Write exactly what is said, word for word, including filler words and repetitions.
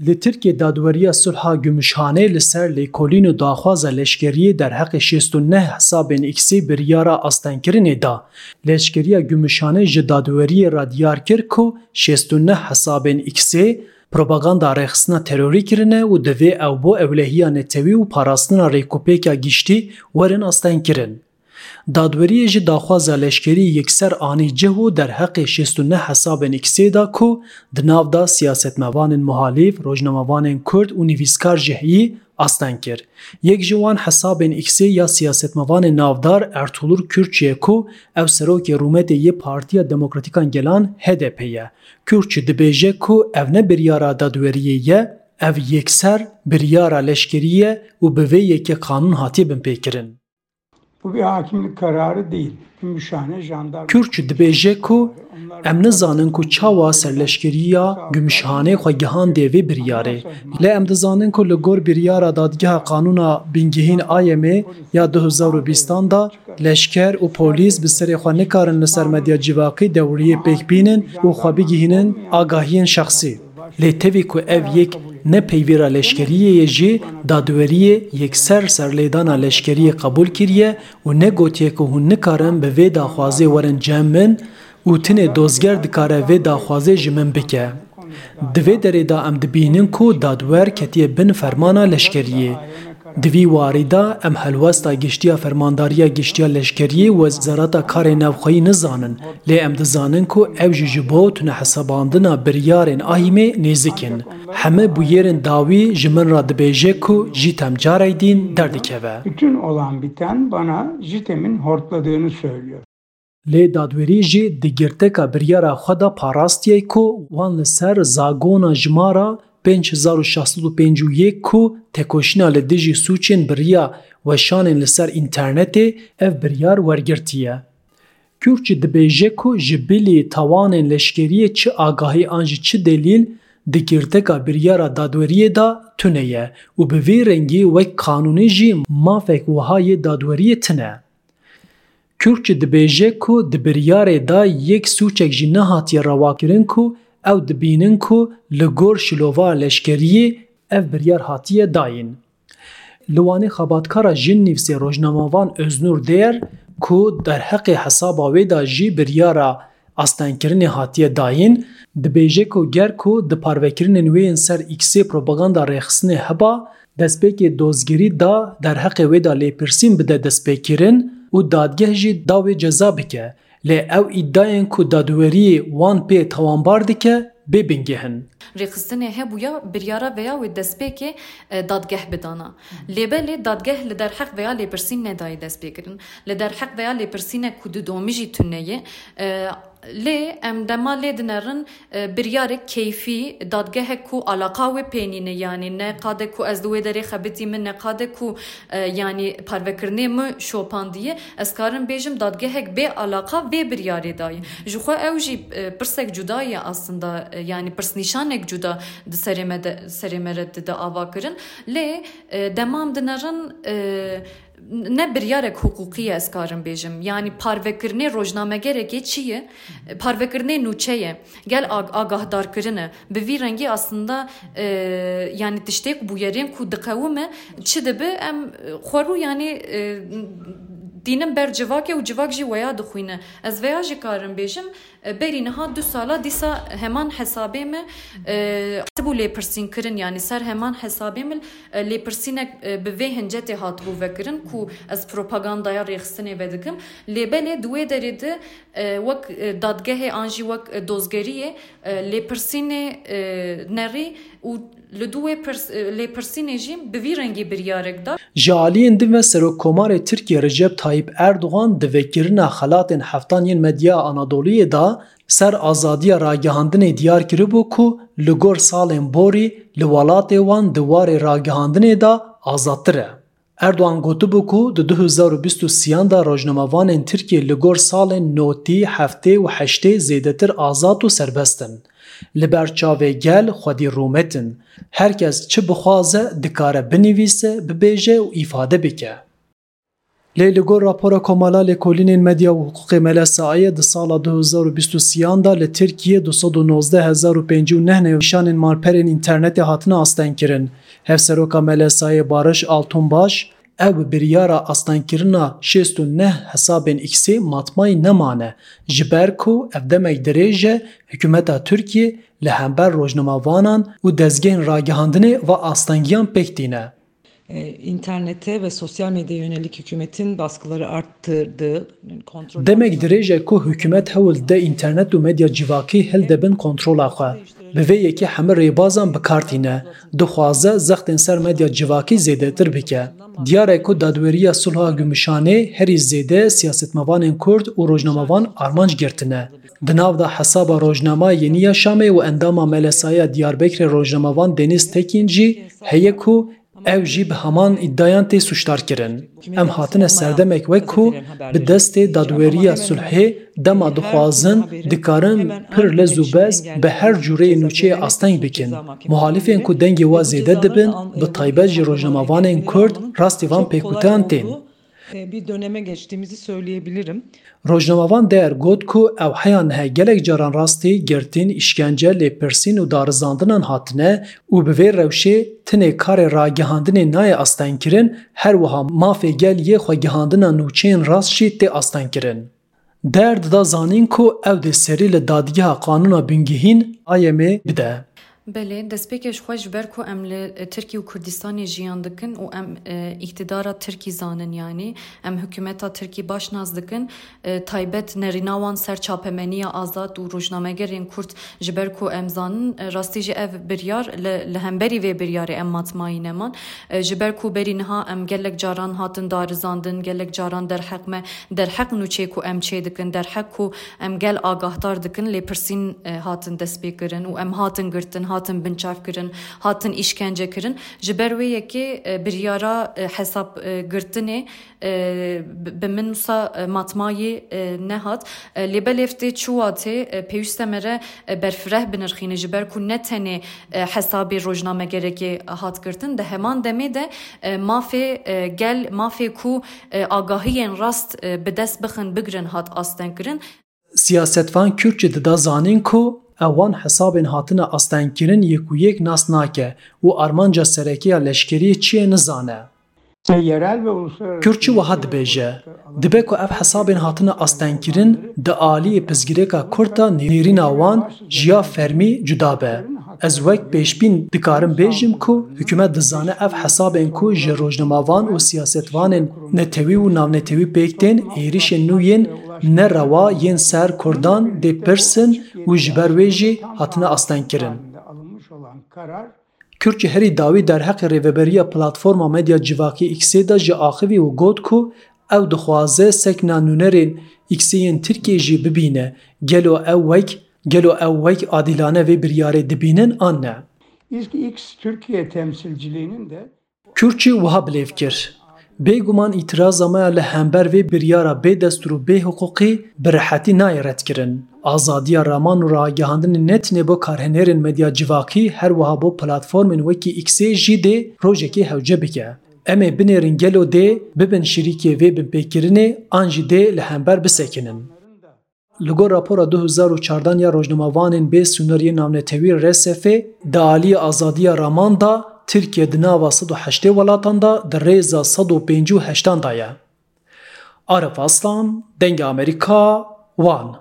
Li Tirkiyê dadweriya sulha Gümüşhane li ser lêkolîn û daxwaza leşkeriyê derheqê şêst û neh hesabên X-ê biryara astengkirinê da. Leşkeriya Gümüşhane ji dadweriyê re diyar kir ku şêst û neh hesabên X-ê propaganda rêxistina terorî kirine û divê ew bo ewlehiya netewî û parastina rêkûpêka giştî werin astengkirin. Dadweriyê jî daxwaza leşkerî yekser anî cih û derheqê şêst û neh hesabên X-ê da ku di nav de siyasetmevanên muhalîf, rojnamevanên Kurd û nivîskar jî heyî asteng kir. Yek ji wan hesabên X-ê ya siyasetmevanê navdar Ertuğrul Kürkçü ye ku ew serokê rûmetê yê Partiya Demokratîkan Gelan H D P ye. Kürkçü dibêje ku ev ne biryara dadweriyê ye, ev yekser biryara leşkerî ye û bi vê yekê qanûn hatiye binpêkirin. Bu bir hakimlik kararı değil. Gümüşhane jandarma Kürkçü dibêje ku em nizanin ku çawa serleşkeriya Gümüşhane xwe gihandiye vê biryarê. Lê em dizanin ku li gor biryara dadgeha qanûna bingehîn A Y M ya du hezar û bîstan de leşker û polîs bi serê xwe nikarin li ser medya civakî dewriyê pêk bînin û xwe bigihînin agahiyên şexsî. Lê tevî ku ev yek ne peyvêra leşkeriyê ye jî, dadweriyê yekser serlêdana leşkeriyê qebûl kiriye û negotiye ku hûn nikarin bi vê daxwazê werin cem min û tinê dozger dikare vê daxwazê ji min bike. Di vê derê de em dibînin ku dadwer ketiye bin fermana leşkeriyê. Di vî warî de em helwesta giştî ya Fermandariya Giştî ya Leşkeriyê û Wezareta Karê Navxweyî nizanin, lê em dizanin ku ew jî ji bo tunehesabandina biryarên ahîmê nêzik in. Heme bûyerên dawî ji min re dibêje ku Jîtem carey dîn derdikeve. Bütün olan biten bana Jitem'in hortladığını söylüyor. Lê dadwerî jî di girteka biryara xwe de parastiye ku wan li ser zagona jimara pênc hezar û şeş sed û pêncî û yek ku tekoşîna li dijî sûcên bi riya weşanên li ser înternetê ev biryar wergirtiye. Kürkçü dibêje ku ji bilî tawanên leşkeriyê çi agahî an jî çi delîl di girteka biryara dadweriyê de tune ye û bi vî rengî wek qanûnî jî mafek wiha yê dadweriyê tine. Kürkçü dibêje ku di biryarê de yek sûcek jî nehatiye rewakirin ku ew dibînin ku li gor şilova leşkeriyê ev biryar hatiye dayîn. Li Wanê xebatkara jinnivîsê rojnamevan Öznur Değer ku derheqê hesaba wê de jî biryara astengkirinê hatiye dayîn, dibêje ku ger ku di parvekirinên wê yên ser X-ê propaganda rêxistinê heba, destpêkê dozgerî da derheqê wê de lêpirsîn bide destpêkirin û dadgeh jî da wê ceza bike. Lê ew îdiayên ku dadweriyê wan pê tawanbar dike, bê bingeh in. Rêxistinê hebûya biryara veya wê destpêkê, e, dadgeh bidana. Lê belê dadgeh li derheq veya lêpirsîn nedayê destpêkirin. Li derheq veya lêpirsînek ku didomî jî tune ye, e, lê em dema lê dinerin, e, biryarek keyfî, dadgehek ku alaqa wê pê nîne, yanî ne qade ku ez di wê derê xebitî min, ne qade ku, e, yanî parvekirinê min şopandiye, ez karim bêjim dadgehek bê alaqa vê biryarê dayî. Ji xwe ew jî, e, pirsek cuda ye aslında, e, yanî pirsnîşanek cuda di serê me de, serê me re dide ava kirin. Lê, e, dema em dinerin, e, ne biryarek hiqûqî ye, ez karim bêjim. Yanî parvekirinê rojnamegerekê çi ye? Parvekirinê nûçe ye. Gel ag-, agahdarkirin e. Bi vî rengî aslında, e, yanî tiştêk bûyerên ku diqewime, çi dibe em, e, xwerû yanî, e, tînin ber civakê û civak jî weya dixwîne. Ez veya jî karim bêjim, e, berî niha du sala dîsa heman hesabê me, e, hatibû lêpirsîn kirin, yanî ser heman hesabê min, e, lêpirsînek, e, bi vê hincetê hatibû vekirin ku ez propagandaya rêxistinê vedikim. Lê belê di wê derê de, e, wek, e, dadgehê an jî wek, e, dozgeriyê, e, lêpirsînê, e, nerî û li dû wê pirs-, e, lêpirsînê jî bi vî rengî biryarek da. Ji aliyên din ve Serokkomarê Tirkiyê Recep Tayyip Erdogan di vekirina xelatên heftan yên Medya Anadoluyê de ser azadiya ragihandinê diyar kiribû ku li gor salên borî li welatê wan di warê ragihandinê de azadtir e. Erdogan gotibû ku di du hezar û bîst û sêyan de rojnamevanên Tirkiyê li gor salên notî, heftê û heştê zêdetir azad û serbest in. Li ber çavê gel xwedî rûmet in. Her kes çi bixwaze dikare binivîse, bibêje û îfade bike. Lê li gor rapora Komala Lêkolînên Medya û Hiqûqê M L S A'yê di sala du hezar û bîst û sêyan de li Tirkiyê du sed û nozdeh hezar û pêncî û neh nîşanên malperên înternetê hatine astengkirin. Hevseroka M L S A'yê Barış Altunbaş, ew bi biryara astengkirina şêst û neh hesabên X'ê matmayî nemane, ji ber ku ev demek dirêj e, hikûmeta Tirkiyê li hember rojnamavanan û dezgehên ragihandinê va astengiyan pêk tîne. E, internete ve sosyal medyaya yönelik hükümetin baskıları arttırdığı, kontrol Demek dirêj e ku hikûmet hewl dide înternet û medya civakî hilde bin kontrola xwe. Bi vê yekê hemî rêbazan bi kar tîne. Dixwaze zextên ser medya civakî zêdetir bike. Diyar e ku Dadweriya Sulha Gümüşhane herî zêde siyasetmevanên Kurd û rojnamevan armanc girtine. Di nav de hesaba rojnama Yeni Yaşamê û endama M L S A'ya Diyarbekirê rojnamevan Deniz Tekin jî heye ku ew jî bi heman îdiayan tê sûcdar kirin. Em hatine serdemek wek ku bi destê dadweriya sulhê dema dixwazin, dikarin pir lez û bez bi her cûreyê nûçeyê asteng bikin. Muhalifên ku dengê we zêde dibin, bi taybet jî rojnamevanên Kurd rastî van pêkûteyan tên. E, bir döneme geçtiğimizi söyleyebilirim. Rojnamevan Deyer got ku ew heya niha gelek caran rastî girtin, îşkence, lêpirsîn û darizandinan hatine û bi vê rewşê tinê karê ragihandinê nayê astengkirin, her wiha mafê gel yê xwegihandina nûçeyên rast jî tê astengkirin. Deyer dida zanîn ku ew dê serî li Dadgeha Qanûna Bingehîn, A Y M'ê, bide. Belê, destpêkê ji xwe ji ber ku em li Tirkî û Kurdistanê jiyan dikin û em e, îktidara Tirkî zanin, yanî em hikûmeta Tirkî baş nas dikin, e, taybet nerîna wan ser çapemeniya azad û rojnamegerên Kurd, ji ber ku em zanin, e, rastî jî ev biryar li, li hemberî vê biryarê em matmayî neman. E, ji ber ku berî niha em gelek caran hatin darizandin, gelek caran derheq me, derheq nûçê ku em çêdikin, derheq ku em gel agahdar dikin, lêpirsîn, e, hatin destpêkirin û em hatin girtin, hatin binçavkirin, hatin îşkence kirin. Ji ber wê yekê, e, biryara, e, hesab, e, girtinê, e, bi, bi min wisa, e, matmayî, e, nehat. E, lê belê ev tê çûwa tê, e, pêwîst e me re, e, berfireh binirxîne, ji ber ku ne tenê, e, hesabê rojnamegerekê hat girtin, di heman demê de, e, mafê, e, gel, mafê ku, e, agahiyên rast, e, bi dest bixin, bigrin, hat astengkirin. Siyasetvan Kürtçi dida zanîn ku ew wan hesabên hatine astengkirin yek û yek nas nake û armanca sereke ya leşkeriyê çi ye nizane. Kürtçi wiha dibêje, dibe ku ev hesabên hatine astengkirin di aliyê pirsgirêka Kurd de nêrîna wan ji ya fermî cuda be. Ez wek pêşbîn dikarim bêjim ku hikûmet dizane ev hesabên ku ji rojnamevan û siyasetvanên netewî û navnetewî pêk tên êrîşên nû yên ne rewa yên ser Kurdan dê pirsin û ji ber wê jî hatine astengkirin. Kürtçi herî dawî derheqê rêveberiya platforma medya civakî X'ê de jî axivî û got ku ew dixwaze sekna nûnerên X'ê yên Tirkiyê jî bibîne, gelo ew wek, gelo ew wek adîlane vê biryarê dibînin an ne? X Türkiye temsilciliğinin de Kürtçi wiha bilêv kir. Bêguman îtiraza me ya li hember vê biryara bê destûr û bê hiqûqî bi rehetî nayê redkirin. Azadiya raman û ragihandinê ne tenê bo karhênerên medya civakî, her wiha bo platformên wekî X'ê jî dê rojekê hewce bike. Em ê binêrin gelo dê bibin şirîkê vê binpêkirinê an jî dê li hember bisekinin. Li gor rapora du hezar û çardan ya rojnamevanên bê sînorî yê navnetewî R S F'ê, di aliyê azadiya raman de Tirkiye di nava sed û heştê welatan de di rêza sed û pêncî û heştan de ye. Arif Aslan, Dengê Amerîka, Wan.